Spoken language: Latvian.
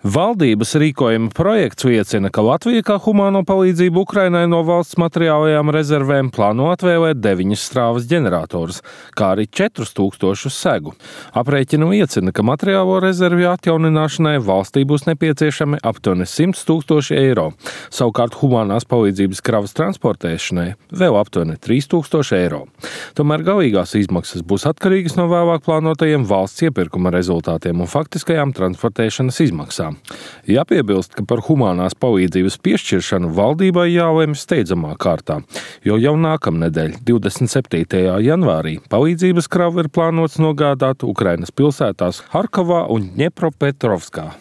Valdības rīkojuma projekts liecina, ka Latvija kā humāno palīdzību Ukrainai no valsts materiālajām rezervēm plāno atvēlēt 9 strāvas ģeneratorus, kā arī 4000 segu. Aprēķinu liecina, ka materiālo rezervju atjaunināšanai valstī būs nepieciešami aptuveni 100 000 eiro. Savukārt humānās palīdzības kravas transportēšanai vēl aptuveni 3000 eiro. Tomēr galīgās izmaksas būs atkarīgas no vēlāk plānotajiem valsts iepirkuma rezultātiem un faktiskajām transportēšanas izmaksām. Jāpiebilst, ka par humānās palīdzības piešķiršanu valdībai jālemj steidzamā kārtā, jo jau nākamnedēļ, 27. janvārī, palīdzības kravu ir plānots nogādāt Ukrainas pilsētās Harkovā un Ņepropetrovskā.